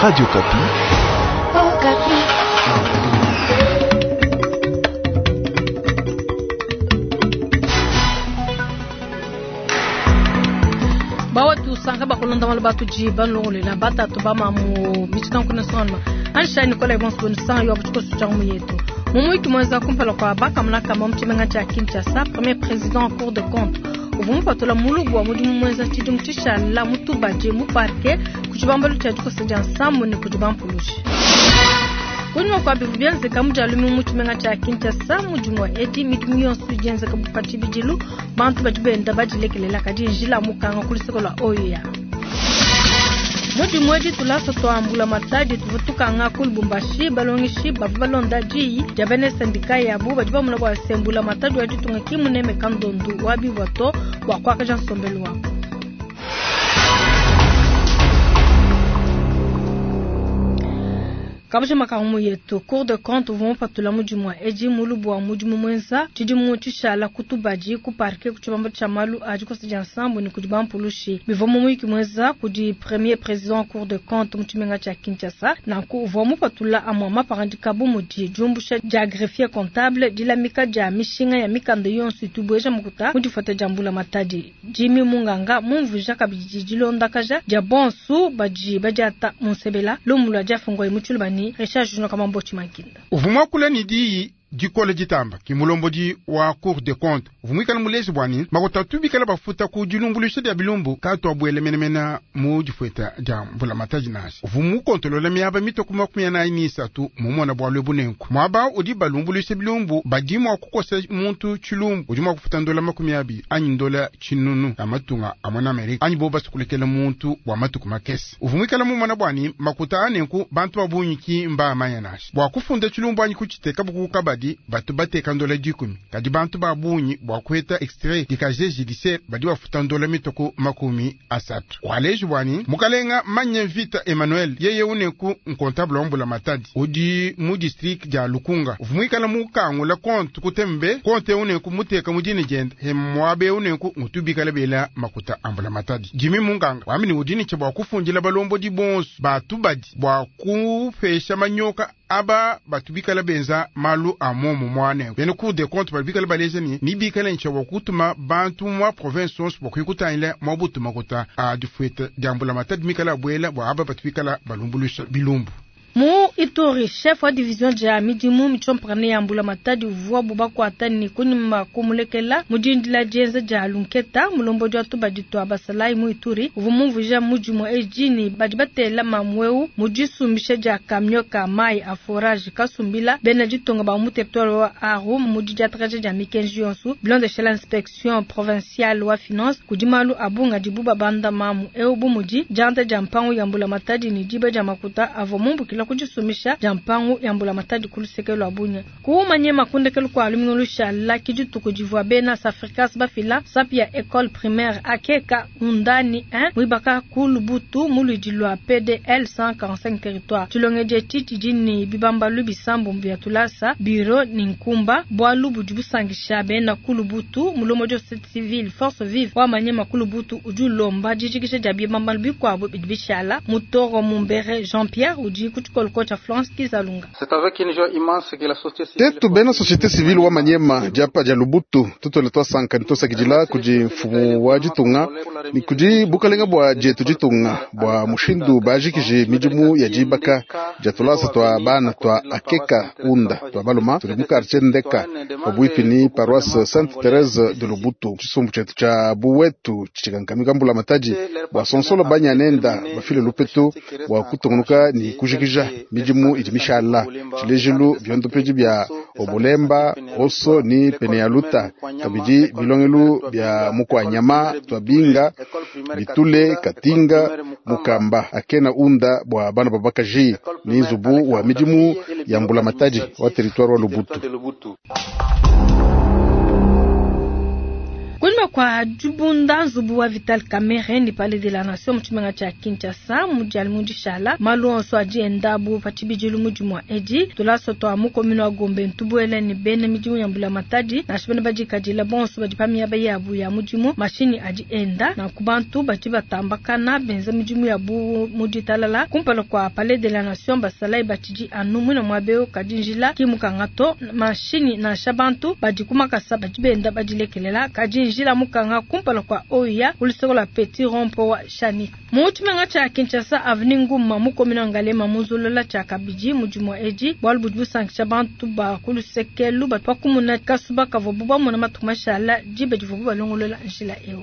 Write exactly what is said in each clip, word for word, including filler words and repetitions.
Radio Okapi. Okapi. Bawa tusanga bakulonda malu batuji banlongolela batatu bamamu michitanku nasonma ansha Nicolas Ebonso bonisanga yo abuchikosu changu yetu mumuiki mwenza kumpala kwa bakamuna kama muchimenga cha Kinshasa premier président en cour de compte uvumupatula mulubu wa mudimu mwenza tshidimu tshishala mutubaje mu parquet kuchibambalo tshia dikosa dia nsambu ne kudi bampulushi kunyuma kwa bivu bienzeka mudialumi mutshimenga tshia Kinshasa mudimu wa edi midimu yonso idienzeka bupatshibidilu bantu badi benda badilekelela kadi njila mukanga kuluseko lua oyo ya mudimu edi tulasa twambula matadi tuvua tukanga ku Lubumbashi balongeshi bavua balonda diyi dia bena sendika yabu badi bamona bua sembula matadi wa ditunga kimuneme kandondu wa bivua to bua kuakaja nsombelu wabu. Kabusha makamu yetu Cour de compte uvua mupatula mudimu wa edi mulubu wa mudimu mwenza tshidimu tshishala kutubaji ku parquet ku tshibambalu tshia malu a dikosa dia nsambu ne kudi bampulushi bivua mumuyiki mwenza kudi premier président Cour de compte mu tshimenga tshia Kinshasa nanku uvua mupatula amua mapangadika bu mudi diumbusha dia greffier comptable dilamika dia mishinga ya mikanda yonso itubueja mukuta mu difuata dia mbula matadi Jimmy Munganga mumvuija kabidi dilondakaja dia bonsu badi badiata munsebela lumu lua diafungwa mu Tshiluba ni Richard Junior Kamambo Chimankinda. Uvumwa kula ni diyi dikole ditamba ki mulombodi wa Cour de compte uvumwikala mulezi bwani makota bikala bafuta ku dilumbulusha dia bilumbu katwa bwele menemena mu difueta dia mvula mataji nashi uvumu kontolola miaba mitoku makumi anayi ni isatu mumona bwa lwebu nenku mwaba udi balumbulusha bilumbu badi mwa kukosa muntu tshilumbu udi mwa kufuta ndola makumi abi anyi ndola tshinunu ya matunga a mwana Amerika anyi bo basukulekela muntu bwa matuku makese uvumwikala mumona bwani makuta anenku bantu babunyi ki mba amanya nashi bwa kufunda tshilumbu anyi kuchiteka buku kabadi batu bateka ndola dikumi kadi bantu babunyi bwa kueta extrait di casier judiciaire badi bafuta ndola mitoko makumi asatu waleji bwani mukalenga manye vita Emmanuel yeye uneku nkontable wa matadi udi mu district dia Lukunga uvumwikala mukangula konte kutembe konte uneku muteka mudini jende hemwabe uneku ngutubikala bela makuta ambula matadi Jimmy Munganga wamini udini che bwa kufundila balombo di bonso batu badi bwa kupesha manyoka aba batubikala benza malu a momo mwane bene Cour des comptes babikala baleza ni nibikala nche wakutuma bantu mwa province onso bwakuikutanyila mwa butuma kota a difueta diambula matadi mikala bwela bwa aba batubikala balumbulusha bilumbu. Mu Ituri chef wa division ya midimu michomprane ya mbula matadi uvua bubakwata ni kunyuma kumulekela mudindila dienza dia lunketa mulombo dia tubadi twa basalai mu Ituri uvua mumvuija mudimu ejini badi batela mamweu mudisumbisha dia kamio ka mai a forage kasumbila bena ditonga ba mu territoire wa Aru mudi diatraje dia mikenji yonsu bilondeshela inspection provinciale wa finance kudimalu abunga dibuba banda mamu eu bumudi dianta dia mpangu ya mbula matadi ni diba dia makuta avua mumbukila kujisumisha jampangu ya mbula matadi kulusekelo abunya kuumanye makundekelo kwa alumingolusha la kidituku divua bena Safricas bafila sapia école primaire akeka undani un mwibaka kulubutu muludi lwa P D L cent quarante-cinq territoire tulongeje titi dini bibambalu bisambu bya tulasa bureau ni nkumba bwalu budibusangisha bena kulubutu mulomo jo société civile force vive wa manyema kulubutu ujulomba jijikisha dia bibambalu bikwabo bidibishala mutoro mumbere Jean-Pierre udi kutuko Florence Kizalunga. C'est avec une joie immense que la société civile Tetu bena société civile wa Manyema diapa dia Lubutu tutole twasanka nitosakidila kudi mfumu wa ditunga ni kudi bukalenga bwa dietu ditunga bwa mushindu bajikije midimu ya dibaka dia tulasa twa bana twa akeka unda twa baluma tuli mu quartier Ndeka pabuipi ni paroisse Sainte Thérèse de Lubutu tshisumbu tshietu tshia buwetu tshikankamika mbula matadi bwa sonsolo banyanenda bafile lupetu bwa kutungunuka ni kujikija midimu idi mishala tshilejilu byondopedi bya obolemba oso ni peneyaluta kabidi bilongelu bya mukwanyama twabinga bitule katinga mukamba akena unda bwa bana babakaji ni nzubu wa midimu ya mbula matadi wa territoire wa Lubutu. Kunyuma Kunyima kua dibunda nzubu wa Vital Kamerhe ni Palais de la Nation mu tshimenga tshia Kinshasa mu dia lumingu dishala, malu onso adi enda bu pa tshibidilu mu dimua edi. Tulasa tua mu commune wa Gombe ntubuela ne bena midimu ya mbulamatadi nansha bena badikadila bonso badi pa miaba yabu ya mudimu, mashinyi adi enda nanku bantu badi batambakana benza midimu yabu mu ditalala. Kumpala kua Palais de la Nation basalayi batshidi anu muina muabeo kadi njila ki mukanga to, mashinyi nansha bantu badi kumakasa badi benda badilekelela kadi njila mukanga kumpala kua oya kuluseko lua Petit Rond-Point wa Shani. Mu tshimenga tshia Kinshasa avenue Nguma mu commune wa Ngaliema munzulula tshia kabidi mudimu edi bualu budi busankisha bantu ba kulusekelu batu bakumuna kasuba kavuabu bamona matuku mashala diba divuabu balongolola njila eu.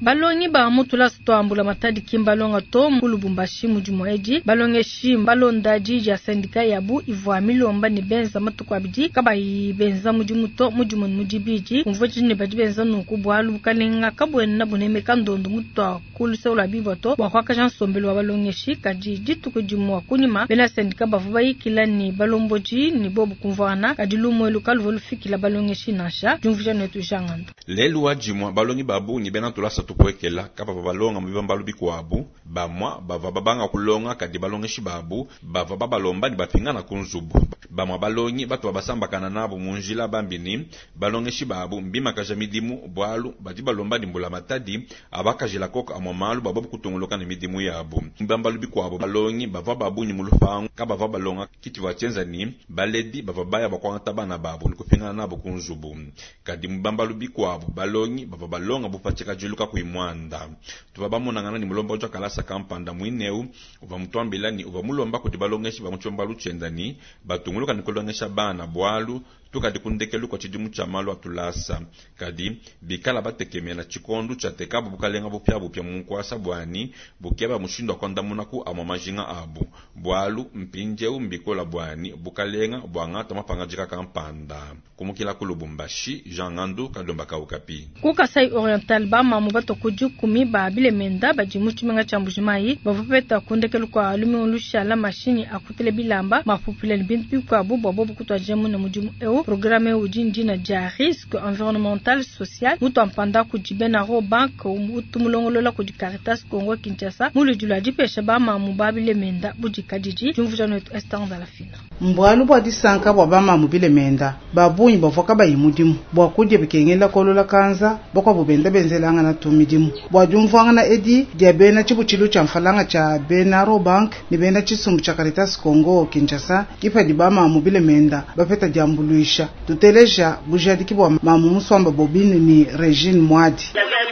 Balongi ba mu tulasa tua mbulamatadi ki mbalonga to mu Lubumbashi mudimu edi. Balongeshi balonda di dia syndicat yabu ivua milomba ne benza matuku abidi kabayi benza mudimu to mudimu mudibidi. Umvua ne badi benza nunku bualu bukalenga kabuena bunemeka ndondo mutua ku luseke lua bibwa to bua kuakaja nsombelu wa balongeshi. Kadi dituku dimua kunyima bena syndicat bavua bayikila ne balombodi ne bobu kumvuana kadi lumuelu kaluvua lufikila balongeshi nansha. Diumvuija netu Jangando. Lelu wa dimua balongi babungi bena tulasa tupuekela kapa balonga mu bibambalu bikuabu bamwa bava babanga kulonga kadi balongeshi babu bava babalomba ne bapingana ku nzubu. Bamwa balongi batu babasambakana nabo mu njila bambini balongeshi babu mbimakaja midimu bualu badi balomba ne mbulamatadi abakajila koko amwa malu babo kutunguluka ne midimu yabu. Bibambalu bikuabu balongi bava babunyi mu lupangu kabava balonga kiti vatshienza ni baledi bava baya bakuangata bana babu ne kupingana nabo ku nzubu. Kadi mu bibambalu bikuabu balongi bava balonga bupatshika diluka kuimwanda. Tuva bamonangana ni mulomba uja kalasa kampanda mwineu uva mutwambila ni uva mulomba kuti balongeshi ba muchomba luchenda ni batunguluka ni kulongesha bana bwalu tukadi kundekelu kwa chidimu cha malu atulasa. Kadi bikala batekemela chikondu cha tekabu bukalenga bupya bupya munkwasa bwani bukeba mushindo akwandamuna ku amwa majinga abu bwalu mpinjeu mbikola bwani bukalenga bwangata mapangajika kampanda. Kumukila ku Lubumbashi, Jean Ngandu Kalomba Kaukapi. Ku Kasai Oriental ba mamu batokudi kumi ba bilemenda badi mu tshimenga tshia Mbujimayi bavua bapeta kundekelu kua lumingu lushala mashinyi akutele bilamba mapupile ne bintu bikuabu bua bobu kutuadija mune mudimu eu. Programme udi ndina dia risque environnemental social mutu ampanda kudi bena Rawbank utu mulongolola kudi Caritas Congo Kinshasa muludi lua dipesha ba mamu ba bilemenda budikadidi. Diumvuija netu Esther Ndalafina. Mbwalu bua disanka bua ba mamu bilemenda babunyi bavua kabayi mudimu bua kudya bikengela kolola kanza bakwabu benda benzelangana tu midimu bua diumvuangana edi dia bena tshibutshilu tshia mfalanga tshia bena Rawbank ne bena tshisumbu tshia Caritas Congo Kinshasa kipadi ba mamu bilemenda bapeta diambuluisha. Tuteleja bujadiki bua mamu muswamba Bobine ni Regine Mwadi.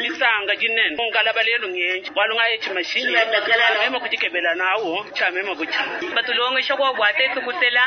Lisanga jinene ngalaba lelo ngenje walunga echi mashini mema kujikebela nawo cha mema kucha batulongesha kwa bwate tukutela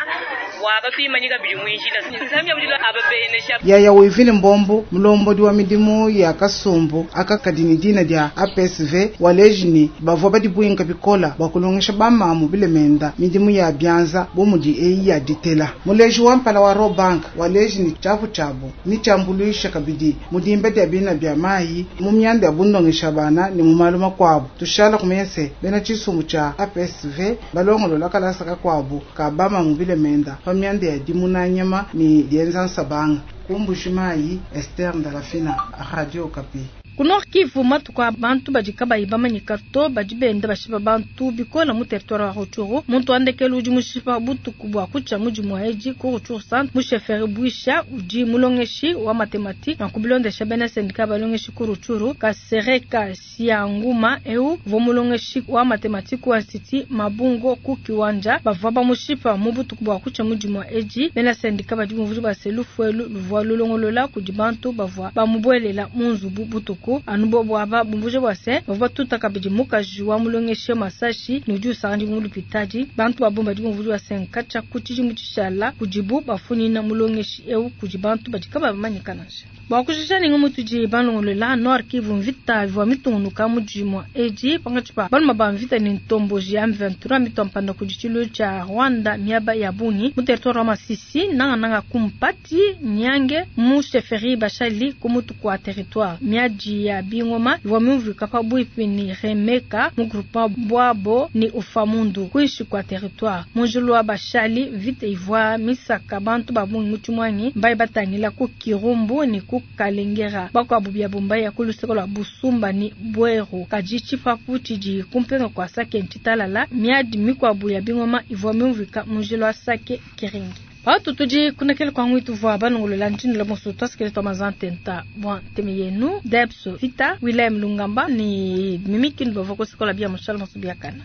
wakatwimanyika bili mwinjila nsamya mulilo ababenesha yaya wivile mbombo mulombodi wa midimu ya kasumbu akakadini dina dia A P S V walejini bavua badibwinga bikola bwa kulongesha bamamu bilemenda midimu ya byanza bomudi eyi ya ditela. Muleji wa mpala wa Rawbank walejini chapu chabu ni chambuluisha kabidi mudimbe dia bina bya mayi mu myanda ya bundongesha bana ni mu malu makuabu. Tushala kumese bena tshisumbu tshia A P S V balongolola kalasa kakuabu ka bamamu bilemenda pa myanda ya dimunanyama ni dienza nsabanga. Ku Mbujimayi, Esther Ndalafina, Radio Okapi. Ku Nord Kivu matuku a bantu badi kabayi bamanyika to badi benda bashipa bantu bikola mu territoire wa Rutshuru. Muntu wa ndekelu udi mushipa butuku bua kutshia mudimu wa edi ku Rutshuru centre mu chefferie Bwisha udi mulongeshi wa mathématique na kubilondesha bena syndicat balongeshi ku Rutshuru. Kasereka Sianguma eu uvua mulongeshi wa mathématique wa institut Mabungo ku Kiwanja bavua bamushipa mu butuku bua kutshia mudimu wa edi. Bena syndicat badi bumvuija baselufuelu luvua lulongolola kudi bantu bavua bamubuelela mu nzubu butuku. Anu bobo aba bumvuija bua se bavua batuta kabidi mukaji wa mulongeshi Masashi ne udi usangadi mu lupitadi. Bantu ba bomba badi bumvuija bua se nkatshia ku tshidimu tshishala kudibu bafunyina mulongeshi eu kudi bantu badi kabamanyika nansha. Bua kujisha ninga mutudi balongolola Nord Kivu mvita ivua mitungunuka mudimu edi pangatshi pa baluma ba mvita ni ntomboji ya M vingt-trois mitompanda kudi tshilu tshia Rwanda miaba ya bungi mu territoire wa Masisi nangananga kumpati nyange mu chefferie Bashali ku mutu kwa territoire miadi Miadi ya bingoma ivua miumvuika pabuipi ni Remeka mu groupement Bwabo ni Ufamundu kuinshi kwa territoire. Munjulu wa Bashali vita ivua misaka bantu babungi muchumwanyi mbaye batangila ku Kirumbu ni ku Kalengera bakwabu bya bumbaye ya kuluseko lwa Busumba ni Bweru kaji chipapu chiji kumpenga kwa Sake nchitalala miadi mikwabu ya bingoma ivua miumvuika munjulu wa Sake Kiringi. Watu tudi kunakele kwa ngwitu vwa banongolola ntshindula bonso twasikele twa mazantenta bwa nteme yenu Debso Vita Willem Lungamba ni mimikindu bavua kosikola bia mushala bonso biakana.